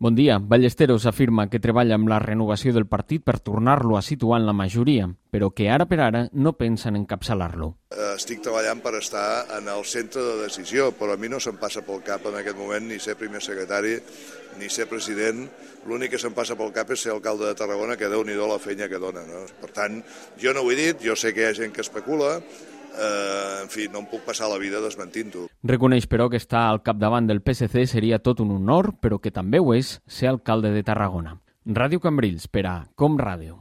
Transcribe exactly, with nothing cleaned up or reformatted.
Bon dia. Ballesteros afirma que treballa amb la renovació del partit per tornar-lo a situar en la majoria, però que ara per ara no pensa en encapçalar-lo. Estic treballant per estar en el centre de decisió, però a mi no se'm passa pel cap en aquest moment ni ser primer secretari ni ser president. L'únic que se'm passa pel cap és ser alcalde de Tarragona, que Déu-n'hi-do la feina que dona, no? Per tant, jo no ho he dit, jo sé que hi ha gent que especula, eh, en fi, no em puc passar la vida desmentint-ho. Reconeix, però, que estar al capdavant del P S C seria tot un honor, però que també ho és ser alcalde de Tarragona. Ràdio Cambrils, per a Com Ràdio.